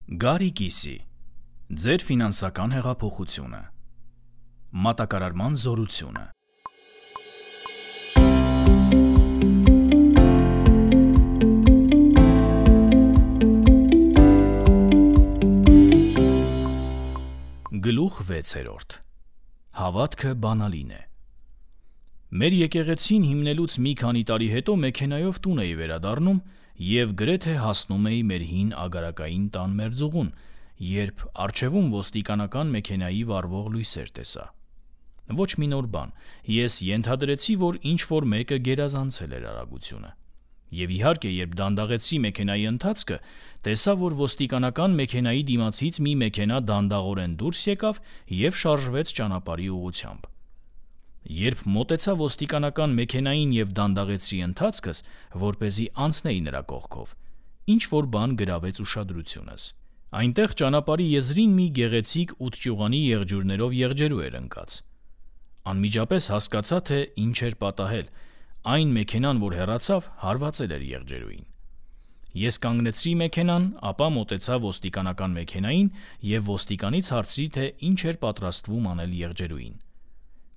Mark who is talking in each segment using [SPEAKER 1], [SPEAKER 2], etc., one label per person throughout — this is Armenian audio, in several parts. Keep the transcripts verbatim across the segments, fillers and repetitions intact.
[SPEAKER 1] Գարի կիսի, ձեր ֆինանսական հեղափոխությունը, մատակարարման զորությունը։ Գլուխ վեցերորդ. Հավատքը բանալին է։ Մեր եկեղեցին հիմնելուց մի քանի տարի հետո մեքենայով տուն էի վերադառնում և գրեթե հասնում էի մեր հին ագարակային տան մերձուղուն, երբ առջևում ոստիկանական մեքենայի վառվող լույսեր տեսա։ Ոչ մի նոր բան, ես ենթադրեցի, որ ինչ-որ մեկը գերազանցել էր արագությունը։ Եվ իհարկե, երբ դանդաղեցի մեքենայի ընթացքը, տեսա, որ ոստիկանական մեքենայի դիմացից մի մեքենա դանդաղորեն դուրս եկավ և շարժվեց ճանապարհի ուղղությամբ։ Երբ մոտեցա ոստիկանական մեքենային և դանդաղեցի ընթացքս, որպեսզի անցնեի նրա կողքով, ինչ-որ բան գրավեց ուշադրությունս։ Այնտեղ ճանապարհի եզրին մի գեղեցիկ ութճյուղանի եղջյուրներով եղջերու էր ընկած։ Անմիջապես հասկացա, թե ինչ էր պատահել։ Այն մեքենան, որ հեռացավ, հարվածել էր եղջերուին։ Ես կանգնեցրի մեքենան, ապա մոտեցա ոստիկանական մեքենային և ոստիկանից հարցրի, թե ինչ էր պատրաստվում անել եղջերուին։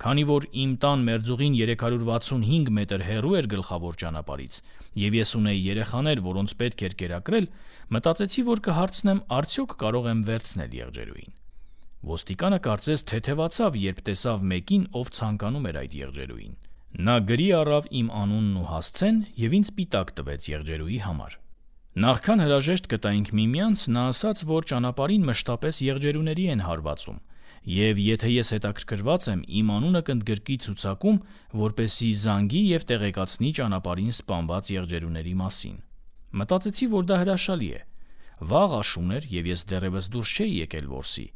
[SPEAKER 1] Քանի որ իմ տան մերձուղին երեք հարյուր վաթսունհինգ մետր հեռու էր գլխավոր ճանապարհից, և ես ունեի երեխաներ, որոնց պետք էր կերակրել, մտածեցի, որ կհարցնեմ արդյոք կարող եմ վերցնել եղջերուին։ Ոստիկանը կարծես թեթևացավ, երբ տեսավ մեկին, ով ցանկանում էր այդ եղջերուին։ Նա գրի առավ իմ անունն ու հասցեն և ինձ պիտակ տվեց եղջերուի համար։ Նախքան հրաժեշտ կտայինք միմյանց, նա ասաց, որ ճանապարհին մշտապես եղջերուների են հարվածում, և եթե ես հետաքրքրված եմ, իմ անունը կընդգրկի ցուցակում, որպեսզի զանգի և տեղեկացնի ճանապարհին սպանված եղջերուների մասին։ Մտածեցի, որ դա հրաշալի է։ Վաղ աշուն էր, և ես դեռևս դուրս չէի եկել որսի։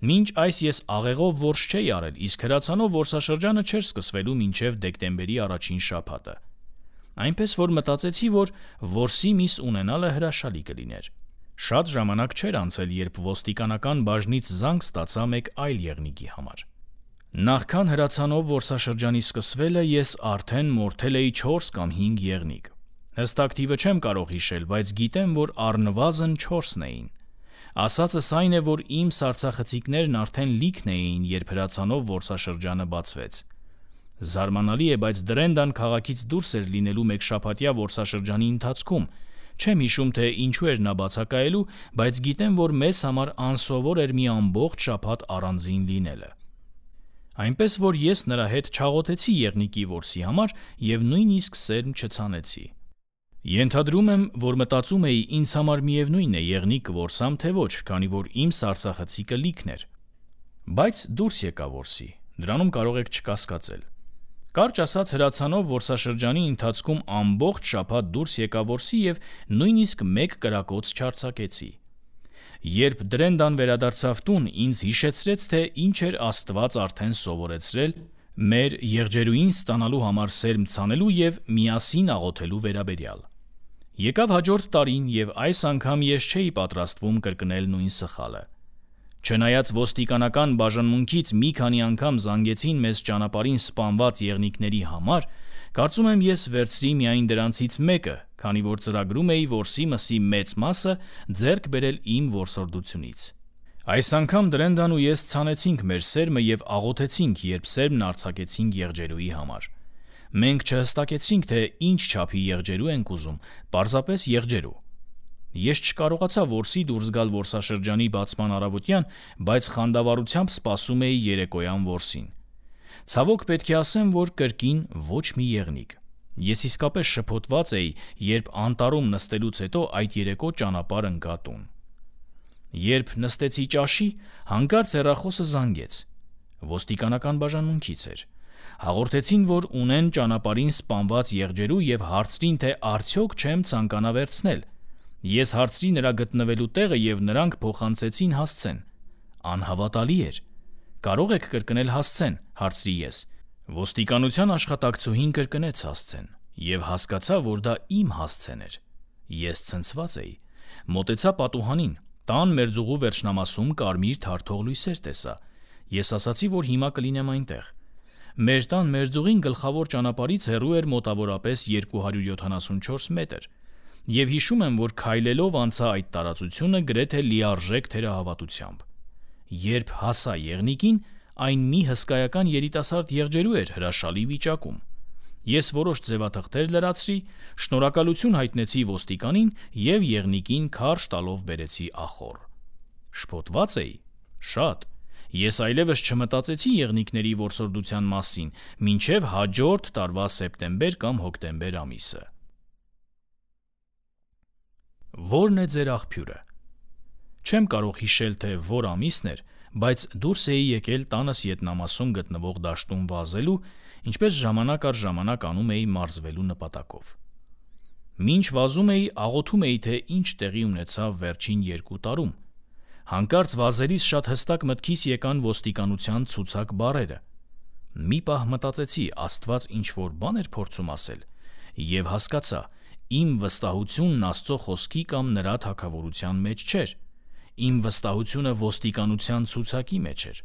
[SPEAKER 1] Մինչ այս ես աղեղով որս չէի արել, իսկ հրացանով որսաշրջանը չէր սկսվելու մինչև դեկտեմբերի առաջին շաբաթը։ Այնպես որ մտածեցի, որ որսի միս ունենալը հրաշալի կլիներ։ Շատ ժամանակ չէր անցել, երբ ոստիկանական բաժնից զանգ ստացա մեկ այլ եղնիկի համար։ Նախքան հրացանով որսաշրջանի սկսվելը ես արդեն մորթել էի չորս կամ հինգ եղնիկ։ Հստակ թիվը չեմ կարող հիշել, բայց գիտեմ, որ առնվազն չորսն էին։ Ասածս այն է, որ իմ սառցախցիկներն արդեն լիքն էին, երբ հրացանով որսաշրջանը բացվեց։ Զարմանալի է, բայց Դրենդան քաղաքից դուրս էր լինելու մեկ շաբաթյա որսաշրջանի ընթացքում։ Չեմ հիշում, թե ինչու էր նա բացակայելու, բայց գիտեմ, որ մեզ համար անսովոր էր մի ամբողջ շաբաթ առանձին լինելը։ Այնպես որ ես նրա հետ չաղոթեցի եղնիկի որսի համար և նույնիսկ սերմ չցանեցի։ Ենթադրում եմ, որ մտածում էի, ինձ համար միևնույն է եղնիկ կորսամ, թե ոչ, քանի որ իմ սառցախցիկը լիքն էր։ Բայց դուրս եկա որսի, դրանում կարող եք չկասկածել։ Կարճ ասած, հրացանով որսաշրջանի ընթացքում ամբողջ շաբաթ դուրս եկա որսի և նույնիսկ մեկ կրակոց չարձակեցի։ Երբ Դրենդան վերադարձավ տուն, ինձ հիշեցրեց, թե ինչ էր Աստված արդեն սովորեցրել մեր եղջերուին ստանալու համար սերմ ցանելու և միասին աղոթելու վերաբերյալ։ Եկավ հաջորդ տարին, և այս անգամ ես չէի պատրաստվում կրկնել նույն սխալը։ Չնայած ոստիկանական բաժանմունքից մի քանի անգամ զանգեցին մեզ ճանապարհին սպանված եղնիկների համար, կարծում եմ ես վերցրի միայն դրանցից մեկը, քանի որ ծրագրում էի որսի մսի մեծ մասը ձեռք բերել իմ որսորդությունից։ Այս անգամ Դրենդան ու ես ցանեցինք մեր սերմը և աղոթեցինք, երբ սերմն արձակեցինք եղջերուի համար։ Մենք չհստակեցինք, թե ինչ չափի եղջերու ենք ուզում, պարզապես եղջերու։ Ես չկարողացա որսի դուրս գալ որսաշրջանի բացման առավոտյան, բայց խանդավառությամբ սպասում էի երեկոյան որսին։ Ցավոք պետք է ասեմ, որ կրկին ոչ մի եղնիկ։ Ես իսկապես շփոթված էի, երբ անտառում նստելուց հետո այդ երեկո ճանապարհ ընկա տուն։ Երբ նստեցի ճաշի, հանկարծ հեռախոսը զանգեց։ Ոստիկանական բաժանմունքից էր։ Հաղորդեցին, որ ունեն ճանապարհին սպանված եղջերու և հարցրին, թե արդյոք չեմ ցանկանա վերցնել։ Ես հարցրի նրա գտնվելու տեղը և նրանք փոխանցեցին հասցեն։ Անհավատալի էր։ Կարող եք կրկնել հասցեն, հարցրի ես։ Ոստիկանության աշխատակցուհին կրկնեց հասցեն և հասկացա, որ դա իմ հասցեն էր։ Ես ցնցված էի։ Մոտեցա պատուհանին, տան մերձուղու վերջնամասում կարմիր թարթող լույսեր տեսա։ Ես ասացի, որ հիմա կլինեմ այնտեղ։ Մեր տան մերձուղին գլխավոր ճանապարհից հեռու էր մոտավորապես երկու հարյուր յոթանասունչորս մետր։ Եվ հիշում եմ, որ քայլելով անցա այդ տարածությունը գրեթե լիարժեք թերահավատությամբ։ Երբ հասա եղնիկին, այն մի հսկայական երիտասարդ եղջերու էր հրաշալի վիճակում։ Ես որոշ ձևաթղթեր լրացրի, շնորհակալություն հայտնեցի ոստիկանին և եղնիկին քարշ տալով բերեցի ախոռ։ Շփոթված էի, շատ։ Ես այլևս չմտածեցի եղնիկների որսորդության մասին, մինչև հաջորդ տարվա սեպտեմբեր կամ հոկտեմբեր ամիսը։ Ո՞րն է ձեր աղբյուրը։ Չեմ կարող հիշել, թե որ ամիսն էր, բայց դուրս էի եկել տանս ետնամասում գտնվող դաշտում վազելու, ինչպես ժամանակ առ ժամանակ անում էի մարզվելու նպատակով։ Մինչ վազում էի, աղոթում էի, թե ինչ տեղի ունեցավ վերջին երկու տարում։ Հանկարծ վազելիս շատ հստակ մտքիս եկան ոստիկանության ցուցակ բառերը։ Մի պահ մտածեցի, Աստված ինչ-որ բան էր փորձում ասել, և հասկացա, իմ վստահությունն Աստծո խոսքի կամ նրա թագավորության մեջ չէր։ Իմ վստահությունը ոստիկանության ցուցակի մեջ էր։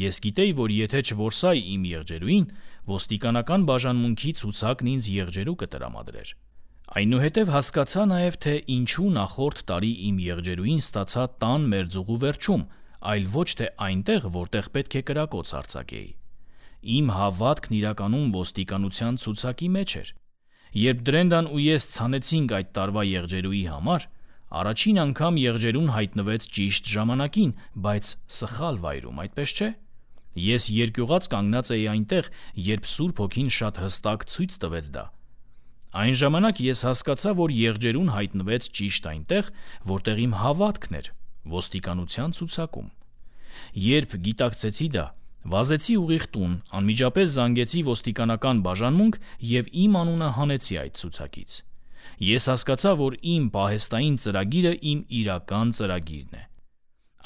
[SPEAKER 1] Ես գիտեի, որ եթե չորսայի իմ եղջերուին, ոստիկանական բաժանմունքի ցուցակն ինձ եղջերու կտրամադրեր։ Այնուհետև հասկացա նաև, թե ինչու նախորդ տարի իմ եղջերուին ստացա տան մերձուղու վերջում, այլ ոչ թե այնտեղ, որտեղ պետք է կրակոց արձակեի։ Իմ հավատքն իրականում ոստիկանության ցուցակի մեջ էր։ Երբ Դրենդան ու ես ցանեցինք այդ տարվա եղջերուի համար, առաջին անգամ եղջերուն հայտնվեց ճիշտ ժամանակին, բայց սխալ վայրում, այդպես չէ։ Ես երկյուղած կանգնած էի այնտեղ, երբ Սուրբ Հոգին շատ հստակ ցույց տվեց դա։ Այն ժամանակ ես հասկացա, որ եղջերուն հայտնվեց ճիշտ այնտեղ, որտեղ իմ հավատքն էր, ոստիկանության ցուցակում։ Երբ գիտակցեցի դա, վազեցի ուղիղ տուն, անմիջապես զանգեցի ոստիկանական բաժանմունք և իմ անունը հանեցի այդ ցուցակից։ Ես հասկացա, որ իմ պահեստային ծրագիրը իմ իրական ծրագիրն է։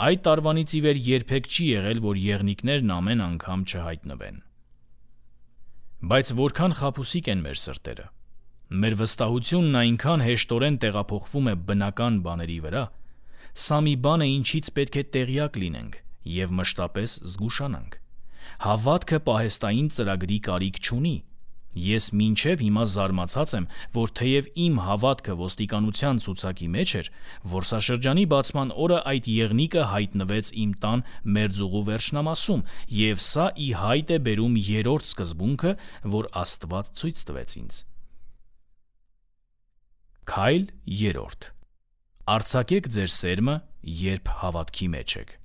[SPEAKER 1] Այդ տարվանից ի վեր երբեք չի եղել, որ եղնիկներն ամեն անգամ չհայտնվեն։ Բայց որքան խաբուսիկ են մեր սրտերը։ Մեր վստահությունն այնքան հեշտորեն տեղափոխվում է բնական բաների վրա, սա մի բան է, ինչից պետք է տեղյակ լինենք և մշտապես զգուշանանք։ Հավատքը պահեստային ծրագրի կարիք չունի։ Ես մինչև հիմա զարմացած եմ, որ թեև իմ հավատքը ոստիկանության ցուցակի մեջ էր, որսաշրջանի բացման օրը այդ եղնիկը հայտնվեց իմ տան մերձուղու վերջնամասում, և սա ի հայտ է բերում երրորդ սկզբունքը, որ Աստված ցույց տվեց ինձ։ Քայլ երրորդ. Արձակեք ձեր սերմը, երբ հավատքի մեջ եք։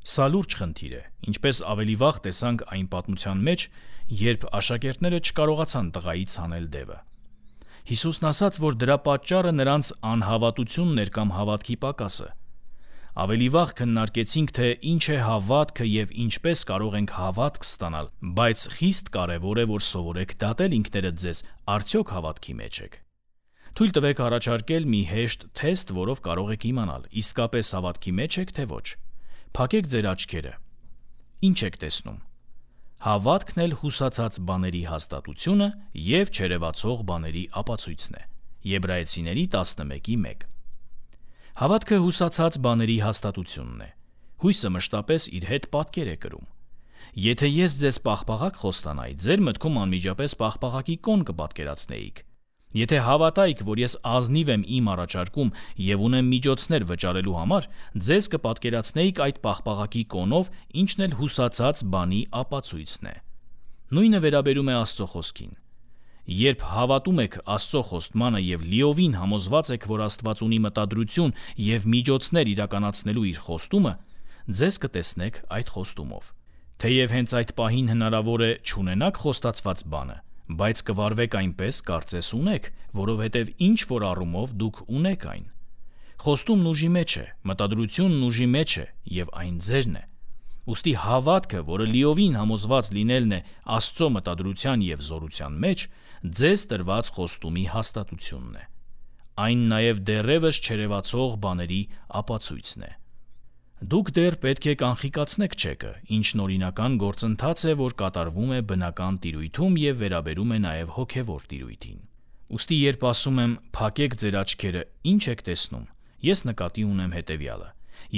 [SPEAKER 1] Սա լուրջ խնդիր է, ինչպես ավելի վաղ տեսանք այն պատմության մեջ, երբ աշակերտները չկարողացան տղայից հանել դևը։ Հիսուսն ասաց, որ դրա պատճառը նրանց անհավատությունն էր կամ հավատքի պակասը։ Ավելի վաղ քննարկեցինք, թե ինչ է հավատքը և ինչպես կարող ենք հավատք ստանալ, բայց խիստ կարևոր է, որ սովորեք դատել ինքներդ ձեզ, արդյոք հավատքի մեջ եք։ Թույլ տվեք առաջարկել մի հեշտ թեստ, որով կարող եք իմանալ, իսկապես հավատքի մեջ եք, թե ոչ։ Փակեք ձեր աչքերը։ Ինչ եք տեսնում։ Հավատքն էլ հուսացած բաների հաստատությունը և չերևացող բաների ապացույցն է։ Եբրայեցիների տասնմեկի մեկ։ Հավատքը հուսացած բաների հաստատությունն է։ Հույսը մշտապես իր հետ պատկեր է կրում։ Եթե ես ձեզ պաղպաղակ խոստանայի, ձեր մտքում անմիջապես պաղպաղակի կոն կպատկերացնեիք։ Եթե հավատայիք, որ ես ազնիվ եմ իմ առաջարկում և ունեմ միջոցներ վճարելու համար, ձեզ կպատկերացնեիք այդ պաղպաղակի կոնով, ինչն էլ հուսացած բանի ապացույցն է։ Նույնը վերաբերում է Աստծո խոսքին։ Երբ հավատում եք Աստծո խոստմանը և լիովին համոզված եք, որ Աստված ունի մտադրություն և միջոցներ իրականացնելու իր խոստումը, ձեզ կտեսնեք այդ խոստումով։ Թեև հենց այդ պահին հնարավոր է չունենաք խոստացված բանը, բայց կվարվեք այնպես, կարծես ունեք, որովհետև ինչ-որ առումով դուք ունեք այն։ Խոստումն ուժի մեջ է, մտադրությունն ուժի մեջ է, և այն ձերն է։ Ուստի հավատքը, որը լիովին համոզված լինելն է Աստծո մտադրության և զորության մեջ, ձեզ տրված խոստումի հաստատությունն է։ Այն նաև դեռևս չերևացող բաների ապացույցն է։ Դուք դեռ պետք է կանխիկացնեք չեկը, ինչն օրինական գործընթաց է, որ կատարվում է բնական տիրույթում և վերաբերում է նաև հոգևոր տիրույթին։ Ուստի երբ ասում եմ «փակեք ձեր աչքերը», ինչ եք տեսնում, ես նկատի ունեմ հետևյալը.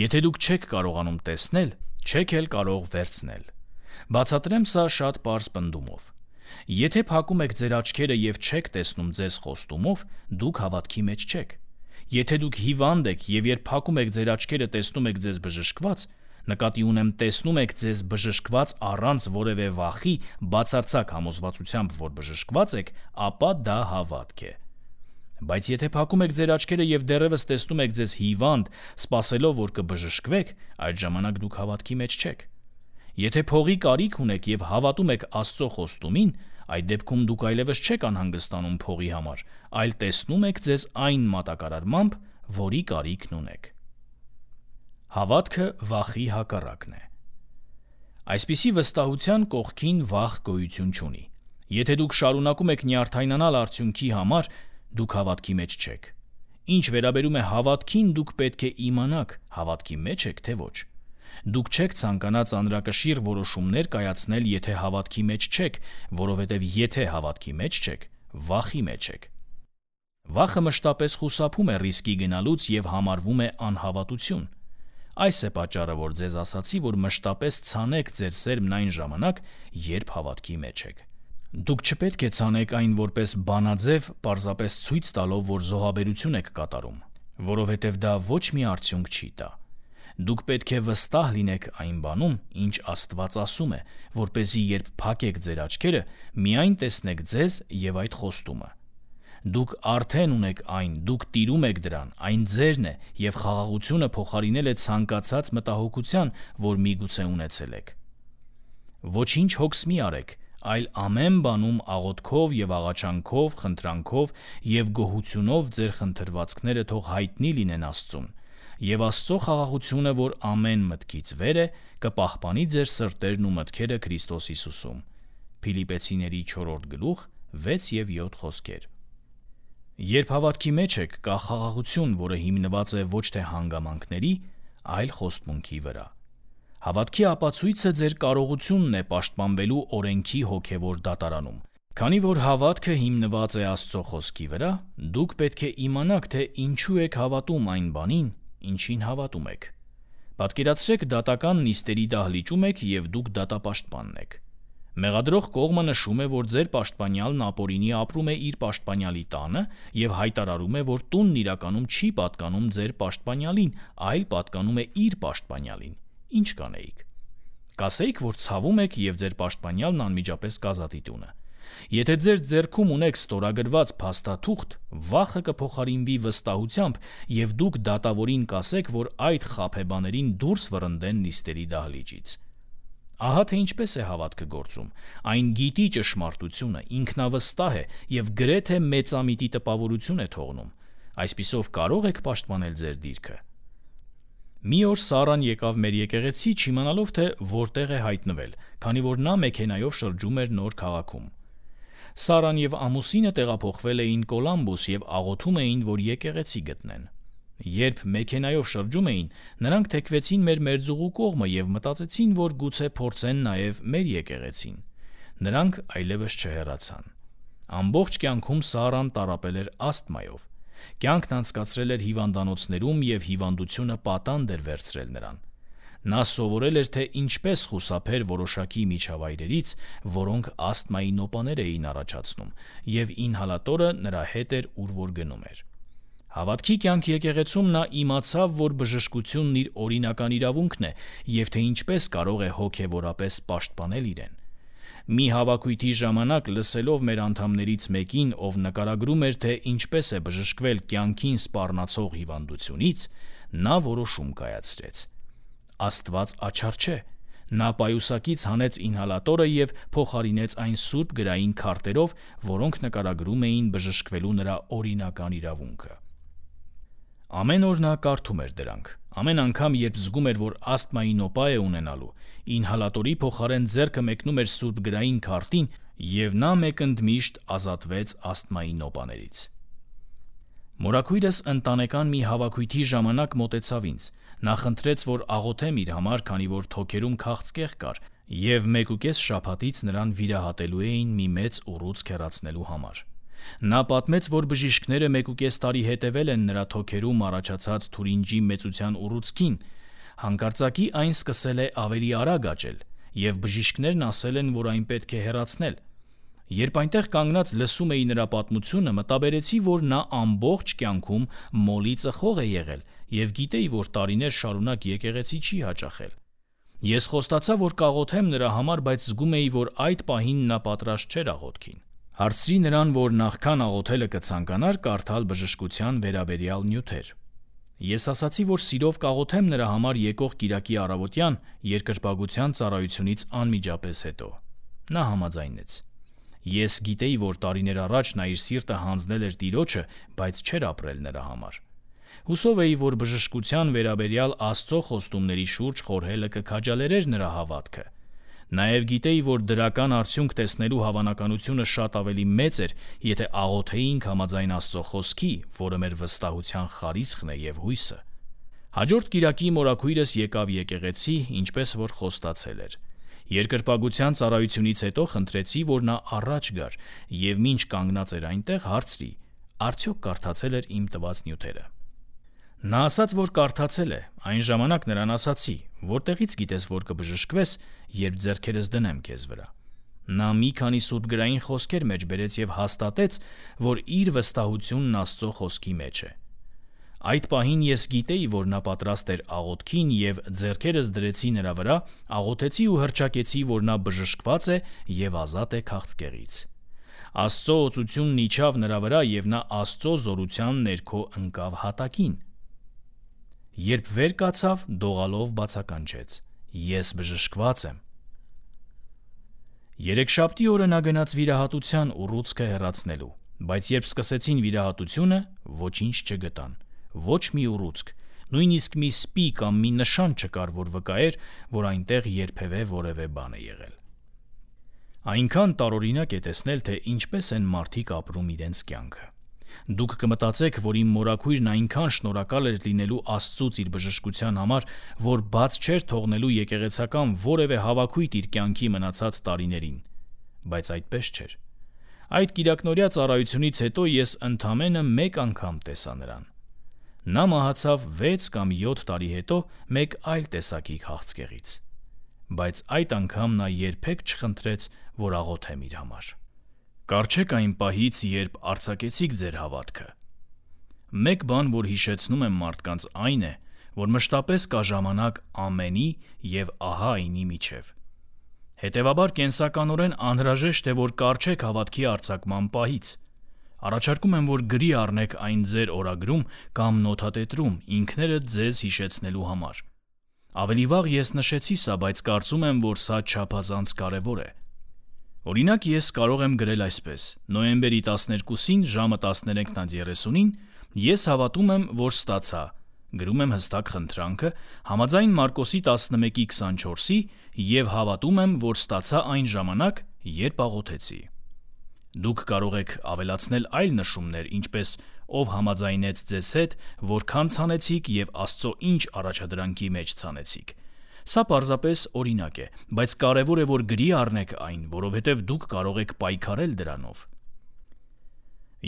[SPEAKER 1] եթե դուք չեք կարողանում տեսնել, չեք էլ կարող վերցնել։ Բացատրեմ սա շատ պարզ պնդումով։ Եթե փակում եք ձեր աչքերը եւ չեք տեսնում ձեզ խոստումով, դուք հավատքի մեջ չեք։ Եթե դուք հիվանդ եք եւ երբ փակում եք ձեր աչքերը տեսնում եք ձեզ բժշկված, նկատի ունեմ տեսնում եք ձեզ բժշկված առանց որևէ վախի, բացարձակ համոզվածությամբ, որ բժշկված եք, ապա դա հավատք է։ Բայց եթե փակում եք ձեր աչքերը եւ դեռևս տեսնում եք ձեզ հիվանդ, սպասելով, որ կբժշկվեք, այդ ժամանակ դուք հավատքի մեջ չեք։ Եթե փողի կարիք ունեք եւ հավատում եք Աստծո խոստումին, այդ դեպքում դուք այլևս չեք անհանգստանում փողի համար, այլ տեսնում եք ձեզ այն մատակարարմամբ, որի կարիքն ունեք։ Հավատքը վախի հակառակն է։ Այսպիսի վստահության կողքին վախ գոյություն չունի։ Եթե դուք շարունակում եք նյարդայնանալ արդյունքի համար, դուք հավատքի մեջ չեք։ Ինչ վերաբերում է հավատքին, դուք պետք է իմանաք, հավատքի մեջ եք, թե ոչ։ Դուք չեք ցանկանա ծանրակշիռ որոշումներ կայացնել, եթե հավատքի մեջ չեք, որովհետև եթե հավատքի մեջ չեք, վախի մեջ եք։ Վախը մշտապես խուսափում է ռիսկի գնալուց եւ համարվում է անհավատություն։ Այս է պատճառը, որ ձեզ ասացի, որ մշտապես ցանեք ձեր սերմն այն ժամանակ, երբ հավատքի մեջ եք։ Դուք չպետք է ցանեք այն որպես բանաձև, պարզապես ցույց տալով, որ զոհաբերություն եք կատարում, որովհետև դա ոչ մի արդյունք չի տա։ Դուք պետք է վստահ լինեք այն բանում, ինչ Աստված ասում է, որպեսզի երբ փակեք ձեր աչքերը, միայն տեսնեք ձեզ եւ այդ խոստումը։ Դուք արդեն ունեք այն, դուք տիրում եք դրան, այն ձերն է եւ խաղաղությունը փոխարինել է ցանկացած մտահոգության, որ միգուցե ունեցել եք։ Ոչինչ հոգս մի արեք, այլ ամեն բանում աղոթքով եւ աղաչանքով, խնդրանքով եւ գոհությունով ձեր խնդրվածքները թող հայտնի լինեն Աստծուն, եւ Աստծո խաղաղությունը, որ ամեն մտքից վեր է, կպահպանի ձեր սրտերն ու մտքերը Քրիստոս Հիսուսում։ Փիլիպպեցիների չորրորդ գլուխ վեց եւ յոթ խոսքեր։ Երբ հավատքի մեջ եք, կա խաղաղություն, որը հիմնված է ոչ թե հանգամանքների, այլ խոստմունքի վրա։ Հավատքի ապացույցը ձեր կարողությունն է պաշտպանվելու օրենքի հոգևոր դատարանում։ Քանի որ հավատքը հիմնված է Աստծո խոսքի վրա, դուք պետք է իմանաք, թե ինչու եք հավատում այն բանին, ինչին հավատում եք։ Պատկերացրեք դատական նիստերի դահլիճում եք եւ դուք դատապաշտպանն եք։ Մեղադրող կողմը նշում է, որ ձեր պաշտպանյալն ապօրինի ապրում է իր պաշտպանյալի տանը եւ հայտարարում է, որ տունն իրականում չի պատկանում ձեր պաշտպանյալին, այլ պատկանում է իր պաշտպանյալին։ Ինչ կանեիք։ Կասեիք, որ ցավում եք եւ ձեր պաշտպանյալն անմիջապես կազատի տունը։ Եթե ձեր ձեռքում ունեք ստորագրված փաստաթուղթ, վախը կփոխարինվի վստահությամբ եւ դուք դատավորին կասեք, որ այդ խաբեբաներին դուրս վռնդեն նիստերի դահլիճից։ Ահա թե ինչպես է հավատքը գործում։ Այն գիտի ճշմարտությունը, ինքնավստահ է եւ գրեթե մեծամիտի տպավորություն է թողնում։ Այսպիսով կարող եք պաշտպանել ձեր դիրքը։ Մի օր Սարան եկավ մեր եկեղեցի, չիմանալով թե որտեղ է հայտնվել, քանի որ նա մեքենայով շրջում էր նոր քաղաքում։ Սարան եւ ամուսինը տեղափոխվել էին Կոլամբոս եւ աղոթում էին, որ եկեղեցի գտնեն։ Երբ մեքենայով շրջում էին, նրանք թեքվեցին մեր մերձուղու կողմը եւ մտածեցին, որ գուցե փորձեն նաեւ մեր եկեղեցին։ Նրանք այլևս չհեռացան։ Ամբողջ կյանքում Սարան տառապել էր ասթմայով։ Կյանքն անցկացրել էր հիվանդանոցներում եւ հիվանդությունը պատանդ էր վերցրել նրան։ Նա սովորել էր, թե ինչպես խուսափեր որոշակի միջավայրերից, որոնք ասթմայի նոպաներ էին առաջացնում, եւ ինհալատորը նրա հետ էր, ուր որ գնում էր։ Հավատքի կյանք եկեղեցում նա իմացավ, որ բժշկությունն իր օրինական իրավունքն է եւ թե ինչպես կարող է հոգեվորապես պաշտպանել իրեն։ Մի հավաքույթի ժամանակ լսելով մեր անդամներից մեկին, ով նկարագրում էր, թե ինչպես է բժշկվել կյանքին սպառնացող հիվանդությունից, նա որոշում կայացրեց։ Աստված աչար չէ։ Նա պայուսակից հանեց ինհալատորը եւ փոխարինեց այն սուրբ գրային քարտերով, որոնք նկարագրում էին բժշկվելու նրա օրինական իրավունքը։ Ամեն օր նա կարդում էր դրանք։ Ամեն անգամ, երբ զգում էր, որ ասթմայի նոպա է ունենալու, ինհալատորի փոխարեն ձեռքը մեկնում էր սուրբ գրային քարտին, եւ նա մեկընդմիշտ ազատվեց ասթմայի նոպաներից։ Մորաքույրս ընտանեկան մի հավաքույթի ժամանակ մոտեցավ ինձ։ Նա խնդրեց, որ աղոթեմ իր համար, քանի որ թոքերում քաղցկեղ կար, եւ մեկուկես շաբաթից նրան վիրահատելու էին մի մեծ ուռուցք հեռացնելու համար։ Նա պատմեց, որ բժիշկները մեկուկես տարի հետևել են նրա թոքերում առաջացած թուրինջի մեծության ուռուցքին։ Հանկարծակի այն սկսել է ավելի արագ աճել, եւ բժիշկներն ասել են, որ այն պետք է հեռացնել։ Երբ այնտեղ կանգնած լսում էի նրա պատմությունը, մտաբերեցի, որ նա ամբողջ կյանքում մոլի ծխող է եղել և գիտեի, որ տարիներ շարունակ եկեղեցի չի հաճախել։ Ես խոստացա, որ կաղոթեմ նրա համար, բայց զգում էի, որ այդ պահին նա պատրաստ չէր աղոթքին։ Հարցրի նրան, որ նախքան աղոթելը կցանկանար կարդալ բժշկության վերաբերյալ նյութեր։ Ես ասացի, որ սիրով կաղոթեմ նրա համար եկող կիրակի առավոտյան երկրպագության ծառայությունից անմիջապես հետո։ Նա համաձայնեց։ Ես գիտեի, որ տարիներ առաջ նա իր սիրտը հանձնել էր Տիրոջը, բայց չէր ապրել նրա համար։ Հուսով էի, որ բժշկության վերաբերյալ Աստծո խոստումների շուրջ խորհելը կքաջալերեր նրա հավատքը։ Նաև գիտեի, որ դրական արդյունք տեսնելու հավանականությունը շատ ավելի մեծ էր, եթե աղոթեինք համաձայն Աստծո խոսքի, որը մեր վստահության խարիսխն է և հույսը։ Հաջորդ կիրակի մորաքույրս եկավ եկեղեցի, ինչպես որ խոստացել էր։ Երկրպագության ծառայությունից հետո խնդրեցի, որ նա առաջ գար և մինչ կանգնած էր այնտեղ հարցրի. արդյոք կարդացել էր իմ տված նյութերը։ Նա ասաց, որ կարդացել է։ Այն ժամանակ նրան ասացի. որտեղից գիտես, որ կբժշկվես, երբ ձեռքերս դնեմ քեզ վրա։ Նա մի քանի սուրբգրային խոսքեր մեջ բերեց և հաստատեց, որ իր վստահությունն Աստծո խոսքի մեջ է։ Այդ պահին ես գիտեի, որ նա պատրաստ էր աղոթքին և ձեռքերս դրեցի նրա վրա, աղոթեցի ու հռչակեցի, որ նա բժշկված է և ազատ է քաղցկեղից։ Աստծո օծությունն իջավ նրա վրա և նա Աստծո զորության ներքո ընկավ հատակին։ Երբ վեր կացավ, դողալով բացականչեց. Ես բժշկված եմ։ Երեքշաբթի օրը նա գնաց վիրահատության ուռուցքը հեռացնելու, բայց երբ սկսեցին վիրահատությունը, ոչինչ չգտան։ Ոչ մի ուռուցք, նույնիսկ մի սպի կամ մի նշան չկար, որ վկայեր, որ այնտեղ երբևէ որևէ բան է եղել։ Այնքան տարօրինակ է տեսնել, թե ինչպես են մարդիկ ապրում իրենց կյանքը։ Դուք կմտածեք, որ իմ մորաքույրն այնքան շնորհակալ էր լինելու Աստծուց իր բժշկության համար, որ բաց չէր թողնելու եկեղեցական որևէ հավաքույթ իր կյանքի մնացած տարիներին, բայց այդպես չէր։ Այդ կիրակնօրյա ծառայությունից հետո ես ընդամենը մեկ անգամ տեսա նրան։ Նա մահացավ վեց կամ յոթ տարի հետո մեկ այլ տեսակի քաղցկեղից, բայց այդ անգամ նա երբեք չխնդրեց, որ աղոթեմ իր համար։ Կառչեք այն պահից, երբ արձակեցիք ձեր հավատքը։ Մեկ բան, որ հիշեցնում եմ մարդկանց, այն է, որ մշտապես կա ժամանակ ամենի և ահա այնի միջև։ Հետևաբար կենսականորեն անհրաժեշտ է, որ կառչեք հավատքի արձակման պահից։ Առաջարկում եմ, որ գրի առնեք այն ձեր օրագրում կամ նոթատետրում ինքներդ ձեզ հիշեցնելու համար։ Ավելի վաղ ես նշեցի սա, բայց կարծում եմ, որ սա չափազանց կարևոր է։ Օրինակ, ես կարող եմ գրել այսպես. նոյեմբերի տասներկուսին ժամը տասներեքն երեսունին ես հավատում եմ, որ ստացա, գրում եմ հստակ խնդրանքը, համաձայն Մարկոսի տասնմեկի քսանչորսի և հավատում եմ, որ ստացա այն ժամանակ, երբ աղոթեցի։ Դուք կարող եք ավելացնել այլ նշումներ, ինչպես ով համաձայնեց ձեզ հետ, որքան ցանեցիք և Աստծո ինչ առաջադրանքի մեջ ցանեցիք։ Սա պարզապես օրինակ է, բայց կարևոր է, որ գրի առնեք այն, որովհետև դուք կարող եք պայքարել դրանով։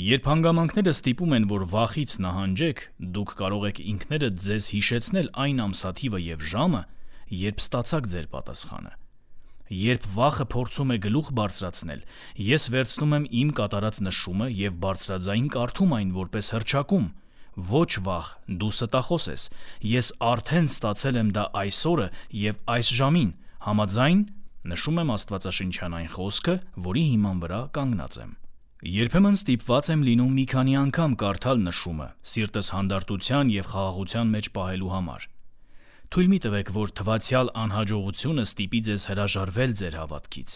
[SPEAKER 1] Երբ հանգամանքները ստիպում են, որ վախից նահանջեք, դուք կարող եք ինքներդ ձեզ հիշեցնել այն ամսաթիվը և ժամը, երբ ստացաք ձեր պատասխանը։ Երբ վախը փորձում է գլուխ բարձրացնել, ես վերցնում եմ իմ կատարած նշումը և բարձրաձայն կարդում այն որպես հռչակում. Ոչ վախ, դու ստախոս ես, ես արդեն ստացել եմ դա այս օրը և այս ժամին, համաձայն նշում եմ աստվածաշնչյան այն խոսքը, որի հիման վրա կանգնած եմ։ Երբեմն ստիպված եմ լինում մի քանի անգամ կարդալ նշումը, սիրտս հանդարտության և խաղաղության մեջ պահելու համար։ Թույլ մի տվեք, որ թվացյալ անհաջողությունը ստիպի ձեզ հրաժարվել ձեր հավատքից։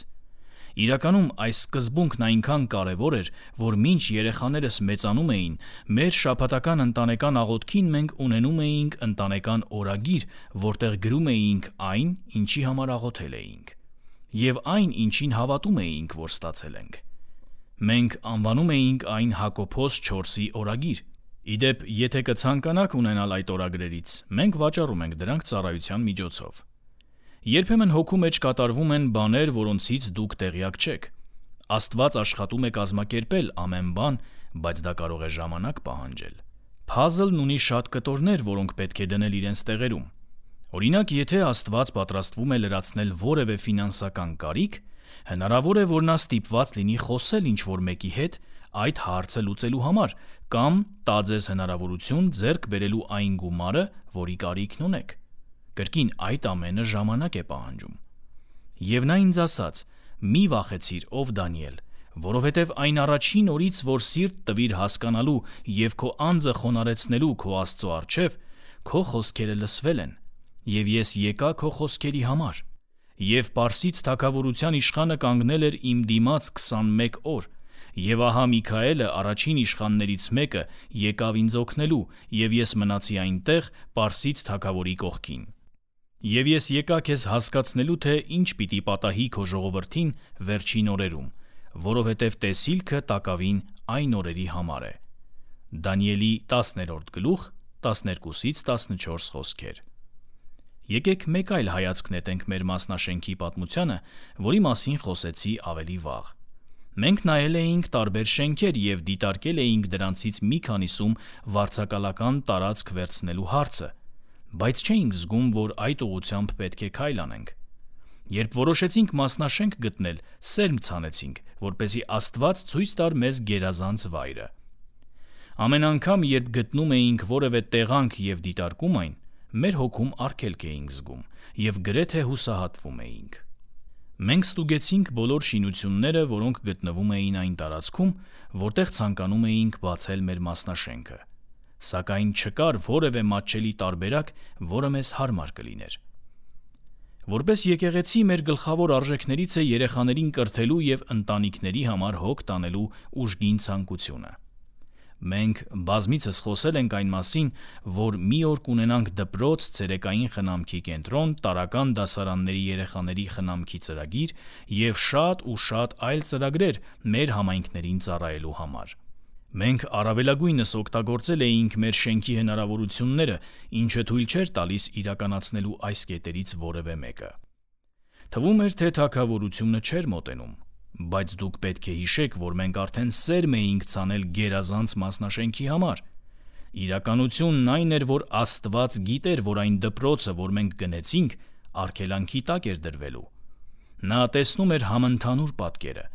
[SPEAKER 1] Իրականում այս սկզբունքն այնքան կարևոր էր, որ մինչ երեխաներս մեծանում էին, մեր շաբաթական ընտանեկան աղոթքին մենք ունենում էինք ընտանեկան օրագիր, որտեղ գրում էինք այն, ինչի համար աղոթել էինք, և այն, ինչին հավատում էինք, որ ստացել ենք։ Մենք անվանում էինք այն Հակոբոս չորսի օրագիր։ Ի դեպ, եթե կցանկանաք ունենալ այդ օրագրերից, մենք վաճառում ենք դրանք ծառայության միջոցով։ Երբեմն հոգու մեջ կատարվում են բաներ, որոնցից դուք տեղյակ չեք։ Աստված աշխատում է կազմակերպել ամեն բան, բայց դա կարող է ժամանակ պահանջել։ Փազլն ունի շատ կտորներ, որոնք պետք է դնել իրենց տեղերում։ Օրինակ, եթե Աստված պատրաստվում է լրացնել որևէ ֆինանսական կարիք, Հնարավոր է, որ նա ստիպված լինի խոսել ինչ-որ մեկի հետ այդ հարցը լուծելու համար կամ տա ձեզ հնարավորություն ձեռք բերելու այն գումարը, որի կարիքն ունեք։ Կրկին այդ ամենը ժամանակ է պահանջում։ Եվ նա ինձ ասաց. «Մի վախեցիր, ով Դանիել, որովհետև այն առաջին օրից, որ սիրտ տվիր հասկանալու և քո անձը խոնարհեցնելու քո Աստծո առջև, քո խոսքերը լսվել են, և ես եկա քո խոսքերի համար։ Եվ Պարսից թագավորության իշխանը կանգնել էր իմ դիմաց քսանմեկ օր, և ահա Միքայելը, առաջին իշխաններից մեկը, եկավ ինձ օգնելու, և ես մնացի այնտեղ Պարսից թագավորի կողքին։ Եվ ես եկա քեզ հասկացնելու, թե ինչ պիտի պատահի քո ժողովրդին վերջին օրերում, որովհետև տեսիլքը տակավին այն օրերի համար է»։ Դանիելի տասներորդ գլուխ տասներկուսից տասնչորս խոսքեր։ Եկեք մեկ այլ հայացք նետենք մեր մասնաշենքի պատմությանը, որի մասին խոսեցի ավելի վաղ։ Մենք նայել էինք տարբեր շենքեր և դիտարկել էինք դրանցից մի քանիսում վարձակալական տարածք վերցնելու հարցը, բայց չէինք զգում, որ այդ ուղղությամբ պետք է քայլ անենք։ Երբ որոշեցինք մասնաշենք գտնել, սերմ ցանեցինք, որպեսզի Աստված ցույց տար մեզ գերազանց վայրը։ Ամեն անգամ, երբ գտնում էինք որևէ տեղանք և դիտարկում այն, մեր հոգում արգելք էինք զգում և գրեթե հուսահատվում էինք։ Մենք ստուգեցինք բոլոր շինությունները, որոնք գտնվում էին այն տարածքում, որտեղ ցանկանում էինք բացել մեր մասնաշենքը, սակայն չկար որևէ մատչելի տարբերակ, որը մեզ հարմար կլիներ։ Որպես եկեղեցի մեր գլխավոր արժեքներից է երեխաներին կրթելու և ընտանիքների համար հոգ տանելու ուժգին ցանկությունը։ Մենք բազմիցս խոսել ենք այն մասին, որ մի օր կունենանք դպրոց, ցերեկային խնամքի կենտրոն, տարրական դասարանների երեխաների խնամքի ծրագիր և շատ ու շատ այլ ծրագրեր մեր համայնքներին ծառայելու համար։ Մենք առավելագույնս օգտագործել էինք մեր շենքի հնարավորությունները, ինչը թույլ չէր տալիս իրականացնելու այս կետերից որևէ մեկը։ Թվում էր, թե թագավորությունը չէր մոտենում, բայց դուք պետք է հիշեք, որ մենք արդեն սերմ էինք ցանել գերազանց մասնաշենքի համար։ Իրականությունն այն էր, որ Աստված գիտեր, որ այն դպրոցը, որ մենք գնեցինք, արգելանքի տակ էր դրվելու։ Նա տեսնում էր համընդհանուր պատկերը։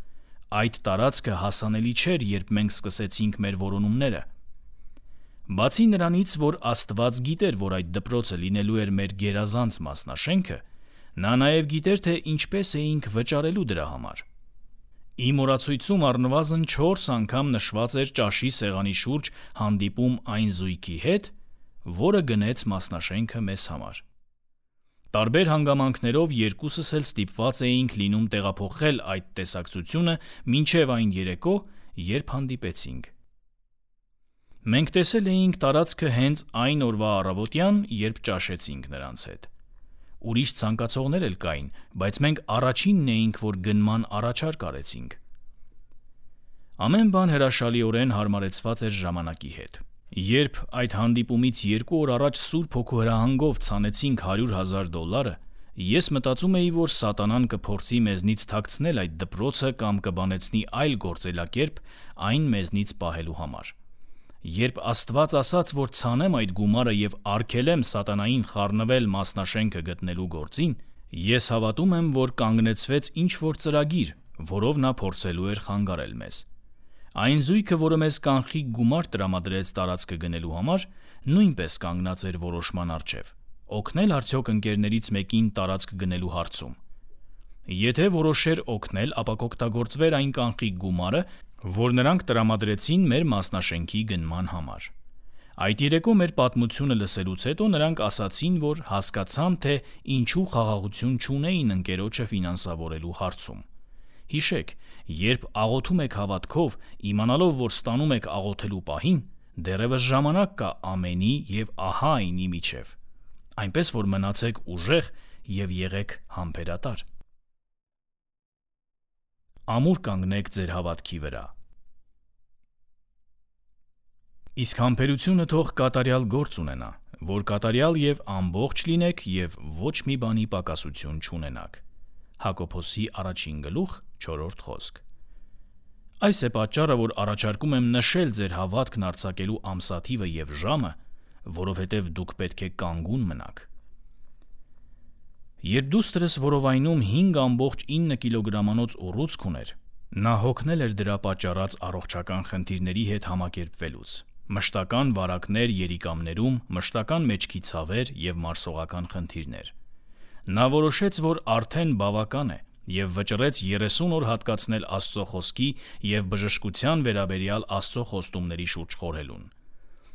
[SPEAKER 1] Այդ տարածքը հասանելի չէր, երբ մենք սկսեցինք մեր որոնումները։ Բացի նրանից, որ Աստված գիտեր, որ այդ դպրոցը լինելու էր մեր գերազանց մասնաշենքը, նա նաև գիտեր, թե ինչպես էինք վճարելու դրա համար։ Իմ օրացույցում առնվազն չորս անգամ նշված էր ճաշի սեղանի շուրջ հանդիպում այն զույգի հետ, որը գնեց մասնաշենքը մեզ համար։ Տարբեր հանգամանքներով երկուսս էլ ստիպված էինք լինում տեղափոխել այդ տեսակցությունը մինչև այն երեկո, երբ հանդիպեցինք։ Մենք տեսել էինք տարածքը հենց այն օրվա առավոտյան, երբ ճաշեցինք նրանց հետ։ Ուրիշ ցանկացողներ էլ կային, բայց մենք առաջինն էինք, որ գնման առաջարկ արեցինք։ Ամեն բան հրաշալիորեն հարմարեցված էր ժամանակի հետ։ Երբ այդ հանդիպումից երկու օր առաջ Սուրբ Հոգու հրահանգով ցանեցինք հարյուր հազար դոլարը, ես մտածում էի, որ սատանան կփորձի մեզնից թաքցնել այդ դպրոցը կամ կբանեցնի այլ գործելակերպ այն մեզնից պահելու համար։ Երբ Աստված ասաց, որ ցանեմ այդ գումարը և արգելեմ սատանային խառնվել մասնաշենքը գտնելու գործին, ես հավատում եմ, որ կանգնեցվեց ինչ-որ ծրագիր, որով նա փորձելու էր խանգարել մեզ։ Այն զույգը, որը մեզ կանխիկ գումար տրամադրեց տարածքը գնելու համար, նույնպես կանգնած էր որոշման առջև՝ օգնել արդյոք ընկերներից մեկին տարածք գնելու հարցում։ Եթե որոշեր օգնել, ապա կօգտագործվեր այն կանխիկ գումարը, որ նրանք տրամադրեցին մեր մասնաշենքի գնման համար։ Այդ երեկո մեր պատմությունը լսելուց հետո նրանք ասացին, որ հասկացան, թե ինչու խաղաղություն չունեին ընկերոջը ֆինանսավորելու հարցում։ Հիշեք, երբ աղոթում եք հավատքով, իմանալով, որ ստանում եք աղոթելու պահին, դեռևս ժամանակ կա ամենի և ահա այնի միջև։ Այնպես որ մնացեք ուժեղ և եղեք համբերատար։ Ամուր կանգնեք ձեր հավատքի վրա։ Իսկ համբերությունը թող կատարյալ գործ ունենա, որ կատարյալ և ամբողջ լինեք և ոչ մի բանի պակասություն չունենաք։ Հակոբոսի առաջին գլուխ չորրորդ խոսք։ Այս է պատճառը, որ առաջարկում եմ նշել ձեր հավատքն արձակելու ամսաթիվը և ժամը, որովհետև դուք պետք է կանգուն մնաք։ Երբ դուստրս որովայնում հինգ ամբողջ ինը կիլոգրամանոց ուռուցք ուներ, նա հոգնել էր դրա պատճառած առողջական խնդիրների հետ համակերպվելուց. մշտական վարակներ երիկամներում, մշտական մեջքի ցավեր և մարսողական խնդիրներ։ Նա որոշեց, որ արդեն բավական է և վճռեց երեսուն օր հատկացնել Աստծո խոսքի և բժշկության վերաբերյալ Աստծո խոստումների շուրջ խորհելուն։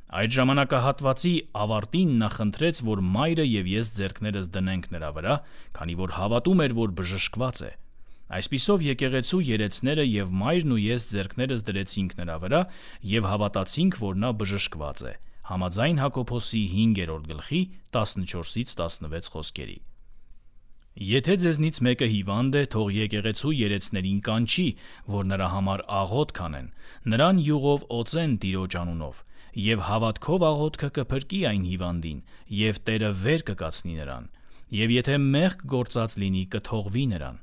[SPEAKER 1] Այդ ժամանակահատվածի ավարտին նա խնդրեց, որ մայրը և ես ձեռքներս դնենք նրա վրա, քանի որ հավատում էր, որ բժշկված է։ Այսպիսով եկեղեցու երեցները և մայրն ու ես ձեռքներս դրեցինք նրա վրա և հավատացինք, որ նա բժշկված է, համաձայն Հակոբոսի հինգերորդ գլխի տասնչորսից տասնվեց խոսքերի։ Եթե ձեզնից մեկը հիվանդ է, թող եկեղեցու երեցներին կանչի, որ նրա համար աղոթք անեն, նրան յուղով օծեն Տիրոջ անունով, և հավատքով աղոթքը կփրկի այն հիվանդին, և Տերը վեր կկացնի նրան, և եթե մեղք գործած լինի, կթողվի նրան։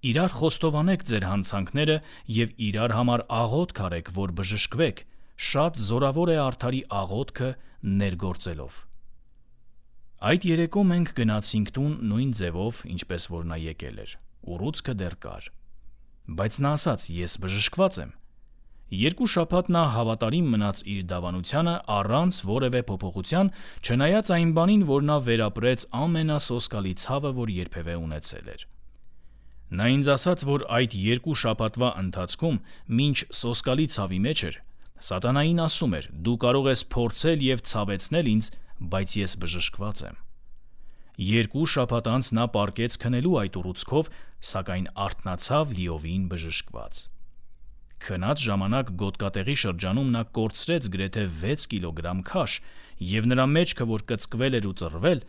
[SPEAKER 1] Իրար խոստովանեք ձեր հանցանքները և իրար համար աղոթք արեք, որ բժշկվեք, շատ զորավոր է արդարի աղոթքը ներգործելով։ Այդ երեկո մենք գնացինք տուն նույն ձևով, ինչպես որ նա եկել էր, ուռուցքը դեռ կար։ Բայց նա ասաց. «Ես բժշկված եմ»։ Երկու շաբաթ նա հավատարիմ մնաց իր դավանությանը առանց որևէ փոփոխության, չնայած այն բանին, որ նա վերապրեց ամենասոսկալի ցավը, որ երբևէ ունեցել էր։ Նա ինձ ասաց, որ այդ երկու շաբաթվա ընթացքում, մինչ սոսկալի ցավի մեջ էր, սատանային ասում էր. «Դու կարող ես փորձել և ցավեցնել ինձ, բայց ես բժշկված եմ»։ Երկու շաբաթ անց նա պառկեց քնելու այդ ուռուցքով, սակայն արթնացավ լիովին բժշկված։ Քնած ժամանակ գոտկատեղի շրջանում նա կորցրեց գրեթե վեց կիլոգրամ քաշ, և նրա մեջքը, որ կծկվել էր ու ծռվել,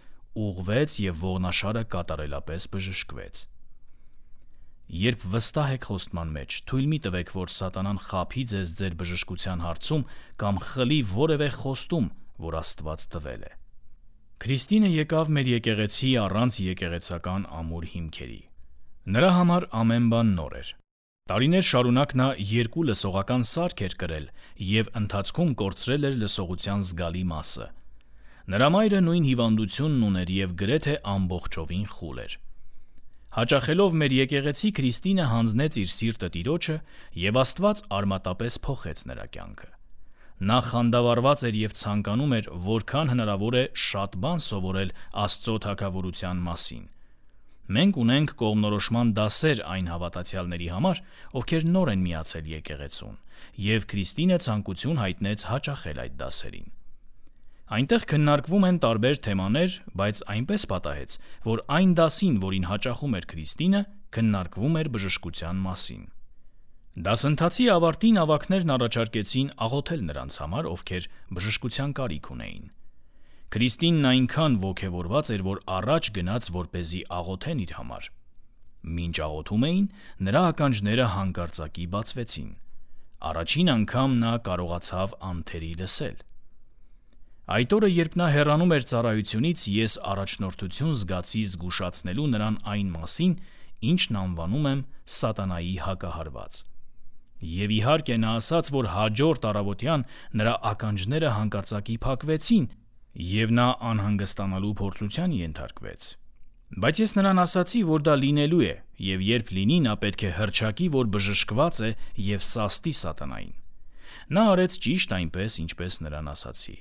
[SPEAKER 1] ուղղվեց և ողնաշարը կատարելապես բժշկվեց։ Երբ վստահ եք խոստման մեջ, թույլ մի տվեք, որ սատանան խաբի ձեզ ձեր բժշկության հարցում կամ խլի որևէ խոստում, որ Աստված տվել է։ Քրիստինը եկավ մեր եկեղեցի առանց եկեղեցական ամուր հիմքերի։ Նրա համար ամեն բան նոր էր։ Տարիներ շարունակ նա երկու լսողական սարք էր կրել և ընթացքում կորցրել էր լսողության զգալի մասը։ Նրա մայրը նույն հիվանդությունն ուներ և գրեթե ամբողջովին խուլ էր։ Հաճախելով մեր եկեղեցի, Քրիստինը հանձնեց իր սիրտը Տիրոջը, և Աստված արմատապես փոխեց նրա կյանքը։ Նա խանդավառված էր և ցանկանում էր, որքան հնարավոր է շատ բան սովորել Աստծո թագավորության մասին։ Մենք ունենք կողմնորոշման դասեր այն հավատացյալների համար, ովքեր նոր են միացել եկեղեցուն, և Քրիստինը ցանկություն հայտնեց հաճախել այդ դասերին։ Այնտեղ քննարկվում են տարբեր թեմաներ, բայց այնպես պատահեց, որ այն դասին, որին հաճախում էր Քրիստինը, քննարկվում էր բժշկության մասին։ Դասընթացի ավարտին ավագներն առաջարկեցին աղոթել նրանց համար, ովքեր բժշկության կարիք ունեին։ Քրիստինն այնքան ոգևորված էր, որ առաջ գնաց, որպեսզի աղոթեն իր համար։ Մինչ աղոթում էին, նրա ականջները հանկարծակի բացվեցին։ Առաջին անգամ նա կարողացավ անթերի լսել։ Այդ օրը, երբ նա հեռանում էր ծառայությունից, ես առաջնորդություն զգացի զգուշացնելու նրան այն մասին, ինչն անվանում եմ սատանայի հակահարված։ Եվ իհարկե նա ասաց, որ հաջորդ առավոտյան նրա ականջները հանկարծակի փակվեցին, և նա անհանգստանալու փորձության ենթարկվեց։ Բայց ես նրան ասացի, որ դա լինելու է, և երբ լինի, նա պետք է հռչակի, որ բժշկված է և սաստի սատանային։ Նա արեց ճիշտ այնպես, ինչպես նրան ասացի։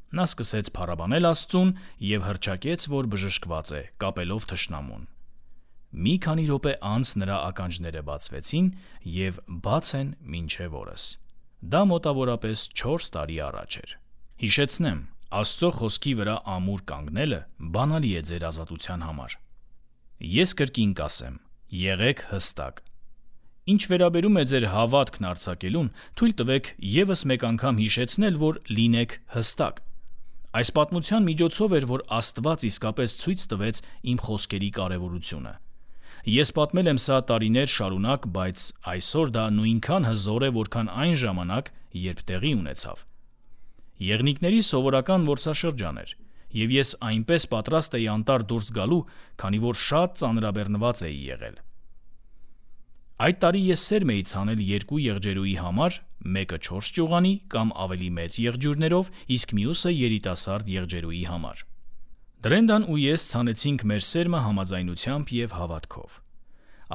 [SPEAKER 1] Նա սկսեց փառաբանել Աստծուն և հռչակեց, որ բժշկված է, կապելով թշնամուն։ Մի քանի րոպե անց նրա ականջները բացվեցին և բաց են մինչև օրս։ Դա մոտավորապես չորս տարի առաջ էր։ Հիշեցնեմ, Աստծո խոսքի վրա ամուր կանգնելը բանալի է ձեր ազատության համար։ Ես կրկին կասեմ. եղեք հստակ։ Ինչ վերաբերում է ձեր հավատքն արձակելուն, թույլ տվեք ևս մեկ անգամ հիշեցնել, որ լինեք հստակ։ Այս պատմության միջոցով էր, որ Աստված իսկապես ցույց տվեց իմ խոսքերի կարևորությունը։ Ես պատմել եմ սա տարիներ շարունակ, բայց այսօր դա նույնքան հզոր է, որքան այն ժամանակ, երբ տեղի ունեցավ։ Եղնիկների սովորական որսաշրջան էր, և ես այնպես պատրաստ էի անտառ դուրս գալու, քանի որ շատ ծանրաբեռնված էի եղել։ Այդ տարի ես սերմ էի ցանել երկու եղջերուի համար, մեկը չորս ճյուղանի կամ ավելի մեծ եղջյուրներով, իսկ մյուսը երիտասարդ եղջերուի համար։ Դրենդան ու ես ցանեցինք մեր սերմը համաձայնությամբ և հավատքով։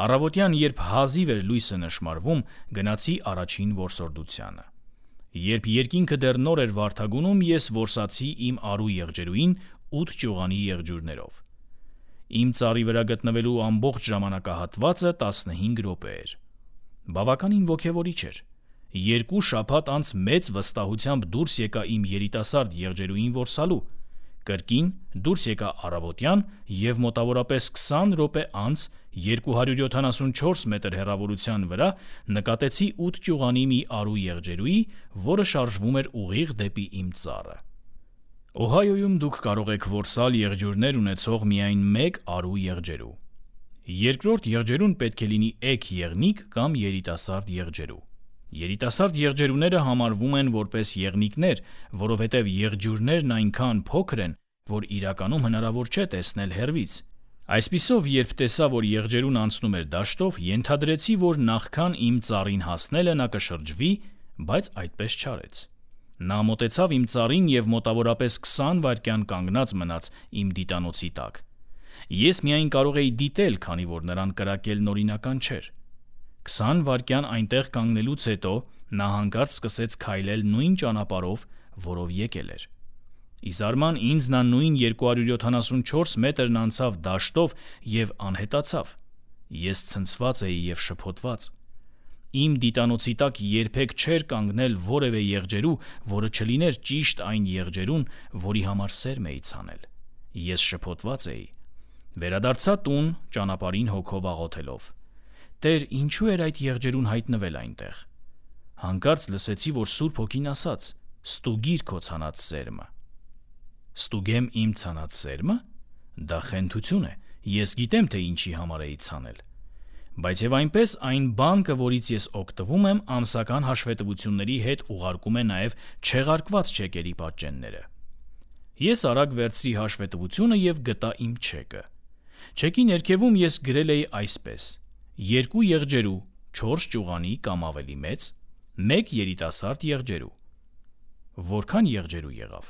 [SPEAKER 1] Առավոտյան, երբ հազիվ էր լույսը նշմարվում, գնացի առաջին որսորդությանը։ Երբ երկինքը դեռ նոր էր վարդագունում, ես որսացի իմ արու եղջերուին ութ ճյուղանի եղջյուրներով։ Իմ ծառի վրա գտնվելու ամբողջ ժամանակահատվածը տասնհինգ րոպե էր։ Բավականին ոգևորիչ էր։ Երկու շաբաթ անց մեծ վստահությամբ դուրս եկա իմ երիտասարդ եղջերուին որսալու։ Կրկին դուրս եկա առավոտյան և մոտավորապես քսան րոպե անց երկու հարյուր յոթանասունչորս մետր հեռավորության վրա նկատեցի ութ ճյուղանի մի արու եղջերուի, որը շարժվում էր ուղիղ դեպի իմ ծառը։ Օհայոյում դուք կարող եք որսալ եղջյուրներ ունեցող միայն մեկ արու եղջերու։ Երկրորդ եղջերուն պետք է լինի էգ եղնիկ կամ երիտասարդ եղջերու։ Երիտասարդ եղջերուները համարվում են որպես եղնիկներ, որովհետև եղջյուրներն այնքան փոքր են, որ իրականում հնարավոր չէ տեսնել հեռվից։ Այսպիսով, երբ տեսա, որ եղջերուն անցնում էր դաշտով, ենթադրեցի, որ նախքան իմ ծառին հասնելը նա կշրջվի, բայց այդպես չարեց։ Նա մոտեցավ իմ ծառին և մոտավորապես քսան վայրկյան կանգնած մնաց իմ դիտանոցի տակ։ Ես միայն կարող էի դիտել, քանի որ նրան կրակելն օրինական չէր։ Քսան վայրկյան այնտեղ կանգնելուց հետո նա հանկարծ սկսեց քայլել նույն ճանապարհով, որով եկել էր։ Ի զարման ինձ նա նույն երկու հարյուր յոթանասունչորս մետրն անցավ դաշտով և անհետացավ։ Ես ցնցված էի և շփոթված։ Իմ դիտանոցի տակ երբեք չէր կանգնել որևէ եղջերու, որը չլիներ ճիշտ այն եղջերուն, որի համար սերմ էի ցանել։ Ես շփոթված էի։ Վերադարձա տուն, ճանապարհին հոգով աղոթելով. «Տեր, ինչու էր այդ եղջերուն հայտնվել այնտեղ»։ Հանկարծ լսեցի, որ Սուրբ Հոգին ասաց. «Ստուգիր քո ցանած սերմը»։ Ստուգեմ իմ ցանած սերմը։ Դա խենթություն է։ Ես գիտեմ, թե ինչի համար էի ցանել։ Բայց եւ այնպես այն բանկը, որից ես օգտվում եմ, ամսական հաշվետվությունների հետ ուղարկում է նաեւ չեղարկված չեկերի պատճենները։ Ես արագ վերցրի հաշվետվությունը եւ գտա իմ չեկը։ Չեկի ներքևում ես գրել էի այսպես. երկու եղջերու, չորս ճյուղանի կամ ավելի մեծ, մեկ երիտասարդ եղջերու։ Որքան եղջերու եղավ։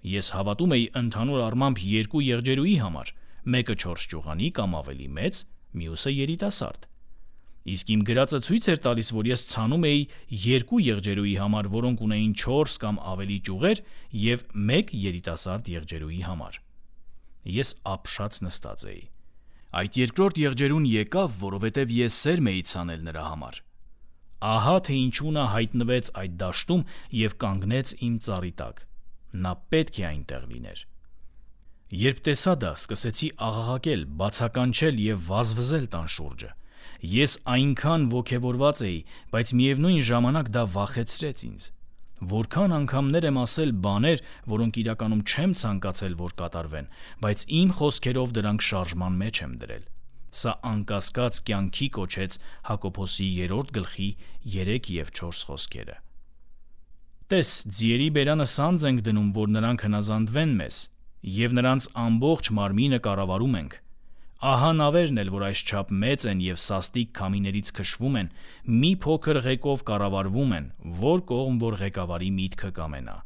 [SPEAKER 1] Ես հավատում էի ընդհանուր առմամբ երկու եղջերուի համար, մեկը չորս ճյուղանի կամ ավելի մեծ, մյուսը երիտասարդ։ Իսկ իմ գրածը ցույց էր տալիս, որ ես ցանում էի երկու եղջերուի համար, որոնք ունեին չորս կամ ավելի ճյուղեր, և մեկ երիտասարդ եղջերուի համար։ Ես ապշած նստած էի։ Այդ երկրորդ եղջերուն եկավ, որովհետև ես սերմ էի ցանել նրա համար։ Ահա թե ինչու նա հայտնվեց այդ դաշտում և կանգնեց իմ ծառի տակ։ Նա պետք է այնտեղ լիներ։ Երբ տեսա դա, սկսեցի աղաղակել, բացականչել և վազվզել տան շուրջը։ Ես այնքան ոգևորված էի, բայց միևնույն ժամանակ դա վախեցրեց ինձ։ Որքան անգամներ եմ ասել բաներ, որոնք իրականում չեմ ցանկացել, որ կատարվեն, բայց իմ խոսքերով դրանք շարժման մեջ եմ դրել։ Սա անկասկած կյանքի կոչեց Հակոբոսի երրորդ գլխի երեք և չորս խոսքերը։ Տես, ձիերի բերանը սանձ ենք դնում, որ նրանք հնազանդվեն մեզ, և նրանց ամբողջ մարմինը կառավարում ենք։ Ահա նավերն էլ, որ այսչափ մեծ են և սաստիկ քամիներից քշվում են, մի փոքր ղեկով կառավարվում են, որ կողմ որ ղեկավարի միտքը կամենա։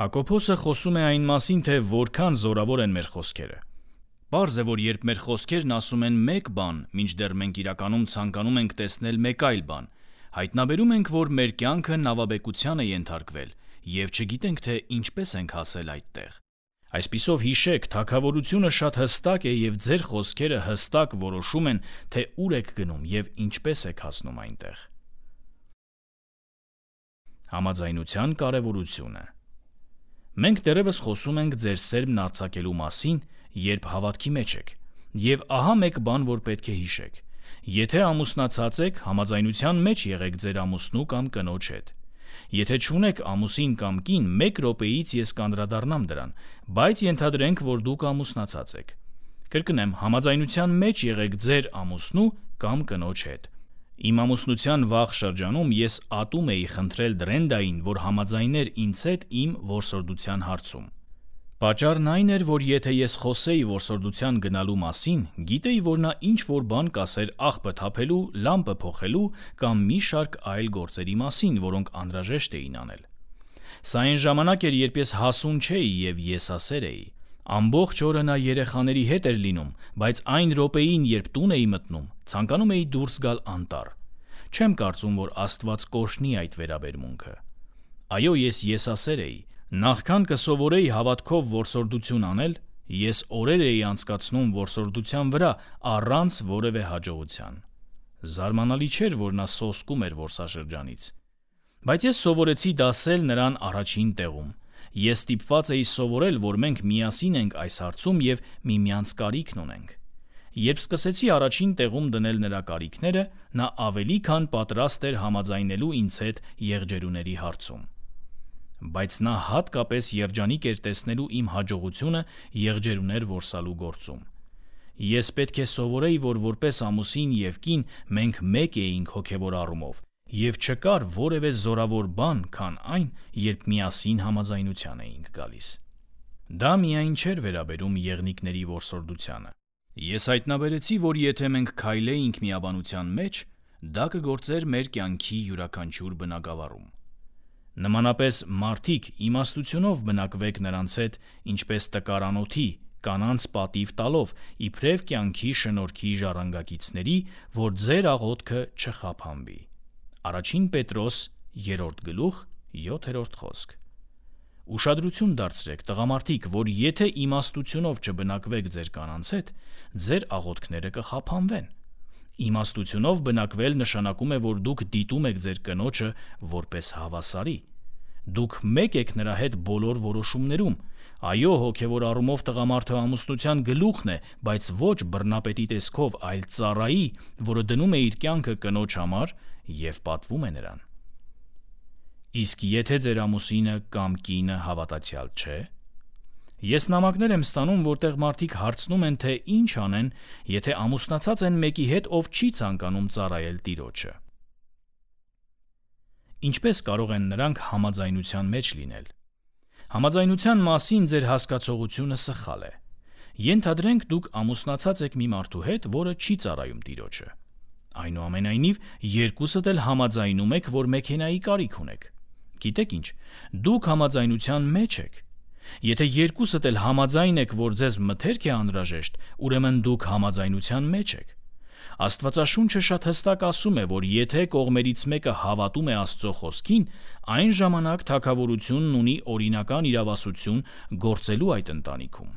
[SPEAKER 1] Հակոբոսը խոսում է այն մասին, թե որքան զորավոր են մեր խոսքերը։ Պարզ է, որ երբ մեր խոսքերն ասում են մեկ բան, մինչդեռ մենք իրականում ցանկանում ենք տեսնել մեկ այլ բան, հայտնաբերում ենք, որ մեր կյանքը նավաբեկության է ենթարկվել, և չգիտենք, թե ինչպես ենք հասել այդտեղ։ Այսպիսով հիշեք, թագավորությունը շատ հստակ է և ձեր խոսքերը հստակ որոշում են, թե ուր եք գնում և ինչպես եք հասնում այնտեղ։ Համաձայնության կարևորությունը։ Մենք դեռևս խոսում ենք ձեր սերմն արձակելու մասին, երբ հավատքի մեջ եք, և ահա մեկ բան, որ պետք է հիշեք. եթե ամուսնացած եք, համաձայնության մեջ եղեք ձեր ամուսնու կամ կնոջ հետ։ Եթե չունեք ամուսին կամ կին, մեկ րոպեից ես կանդրադառնամ դրան, բայց ենթադրենք, որ դուք ամուսնացած եք։ Կրկնեմ, համաձայնության մեջ եղեք ձեր ամուսնու կամ կնոջ հետ։ Իմ ամուսնության վաղ շրջանում ես ատում էի խնդրել Դրենդային, որ համաձայներ ինձ հետ իմ որսորդության հարցում։ Պատճառն այն էր, որ եթե ես խոսեի որսորդության գնալու մասին, գիտեի, որ նա ինչ-որ բան կասեր աղբը թափելու, լամպը փոխելու կամ մի շարք այլ գործերի մասին, որոնք անհրաժեշտ էին անել։ Սա այն ժամանակ էր, երբ ես հասուն չէի և եսասեր էի։ Ամբողջ օրը նա երեխաների հետ էր լինում, բայց այն րոպեին, երբ տուն էի մտնում, ցանկանում էի դուրս գալ անտառ։ Չեմ կարծում, որ Աստված կօրհնի այդ վերաբերմունքը։ Այո, ես եսասեր էի։ Նախքան կսովորեի հավատքով որսորդություն անել, ես օրեր էի անցկացնում որսորդության վրա առանց որևէ հաջողության։ Զարմանալի չէր, որ նա սոսկում էր որսաշրջանից։ Բայց ես սովորեցի դասել նրան առաջին տեղում։ Ես ստիպված էի սովորել, որ մենք միասին ենք այս հարցում և միմյանց կարիքն ունենք։ Երբ սկսեցի առաջին տեղում դնել նրա կարիքները, նա ավելի քան պատրաստ էր համաձայնելու ինձ հետ եղջերուների հարցում։ Բայց նա հատկապես երջանիկ էր տեսնելու իմ հաջողությունը եղջերուներ որսալու գործում։ Ես պետք է սովորեի, որ որպես ամուսին և կին մենք մեկ էինք հոգևոր առումով, և չկար որևէ զորավոր բան, քան այն, երբ միասին համաձայնության էինք գալիս։ Դա միայն չէր վերաբերում եղնիկների որսորդությանը։ Ես հայտնաբերեցի, որ եթե մենք քայլեինք միաբանության մեջ, դա կգործեր մեր կյանքի յուրաքանչյուր բնագավառում։ Նմանապես մարդիկ իմաստությունով բնակվեք նրանց հետ, ինչպես տկարանոթի, կանանց պատիվ տալով, իբրև կյանքի շնորհքի ժառանգակիցների, որ ձեր աղոթքը չխափանվի։ Առաջին Պետրոս երրորդ գլուխ յոթերորդ խոսք։ Ուշադրություն դարձրեք, տղամարդիկ, որ եթե իմաստությունով չբնակվեք ձեր կանանց հետ, ձեր աղոթքները կխափանվեն։ Իմաստությունով բնակվել նշանակում է, որ դուք դիտում եք ձեր կնոջը որպես հավասարի։ Դուք մեկ եք նրա հետ բոլոր որոշումներում։ Այո, հոգևոր առումով տղամարդը ամուսնության գլուխն է, բայց ոչ բռնապետի տեսքով, այլ ծառայի, որը դնում է իր կյանքը կնոջ համար և պատվում է նրան։ Իսկ եթե ձեր ամուսինը կամ կինը հավատացյալ չէ։ Ես նամակներ եմ ստանում, որտեղ մարդիկ հարցնում են, թե ինչ անեն, եթե ամուսնացած են մեկի հետ, ով չի ցանկանում ծառայել տիրոջը։ Ինչպես կարող են նրանք համաձայնության մեջ լինել։ Համաձայնության մասին ձեր հասկացողությունը սխալ է։ Ենթադրենք դուք ամուսնացած եք մի մարդու հետ, որը չի ծառայում տիրոջը։ Այնուամենայնիվ, երկուսդ էլ համաձայնում եք, որ մեքենայի կարիք ունեք։ Գիտեք ինչ, դուք համաձայնության մեջ եք։ Եթե երկուսդ էլ համաձայն եք, որ ձեզ մթերք է անհրաժեշտ, ուրեմն դուք համաձայնության մեջ եք։ Աստվածաշունչը շատ հստակ ասում է, որ եթե կողմերից մեկը հավատում է Աստծո խոսքին, այն ժամանակ թագավորությունն ունի օրինական իրավասություն գործելու այդ ընտանիքում։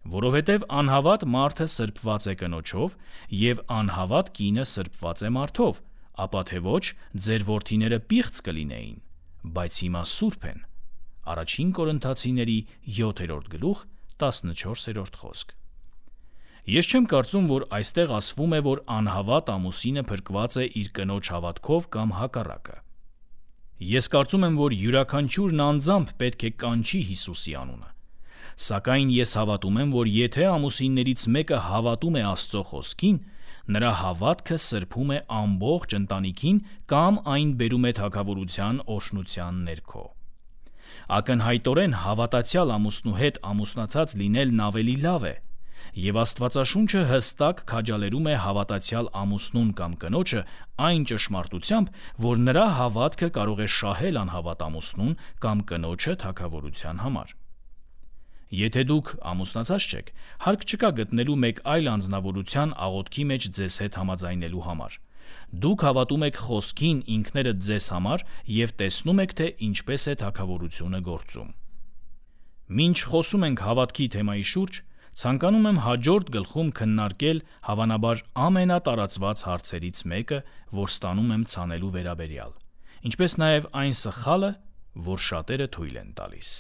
[SPEAKER 1] Որովհետև անհավատ մարդը սրբված է կնոջով, և անհավատ կինը սրբված է մարդով, ապա թե ոչ ձեր որդիները պիղծ կլինեին, բայց հիմա սուրբ են։ Առաջին Կորինթացիների յոթերորդ գլուխ տասնչորսերորդ խոսք։ Ես չեմ կարծում, որ այստեղ ասվում է, որ անհավատ ամուսինը փրկված է իր կնոջ հավատքով կամ հակառակը։ Ես կարծում եմ, որ յուրաքանչյուրն անձամբ պետք է կանչի Հիսուսի անունը։ Սակայն ես հավատում եմ, որ եթե ամուսիններից մեկը հավատում է Աստծո խոսքին, նրա հավատքը սրբում է ամբողջ ընտանիքին կամ այն բերում է թագավորության օրհնության ներքո։ Ակնհայտորեն հավատացյալ ամուսնու հետ ամուսնացած լինելն ավելի լավ է, և Աստվածաշունչը հստակ քաջալերում է հավատացյալ ամուսնուն կամ կնոջը այն ճշմարտությամբ, որ նրա հավատքը կարող է շահել անհավատ ամուսնուն կամ կնոջը թագավորության համար։ Եթե դուք ամուսնացած չեք, հարկ չկա գտնելու մեկ այլ անձնավորության աղոթքի մեջ ձեզ հետ համաձայնելու համար։ Դուք հավատում եք խոսքին ինքներդ ձեզ համար և տեսնում եք, թե ինչպես է թագավորությունը գործում։ Մինչ խոսում ենք հավատքի թեմայի շուրջ, ցանկանում եմ հաջորդ գլխում քննարկել հավանաբար ամենատարածված հարցերից մեկը, որ ստանում եմ ցանելու վերաբերյալ, ինչպես նաև այն սխալը, որ շատերը թույլ են տալիս։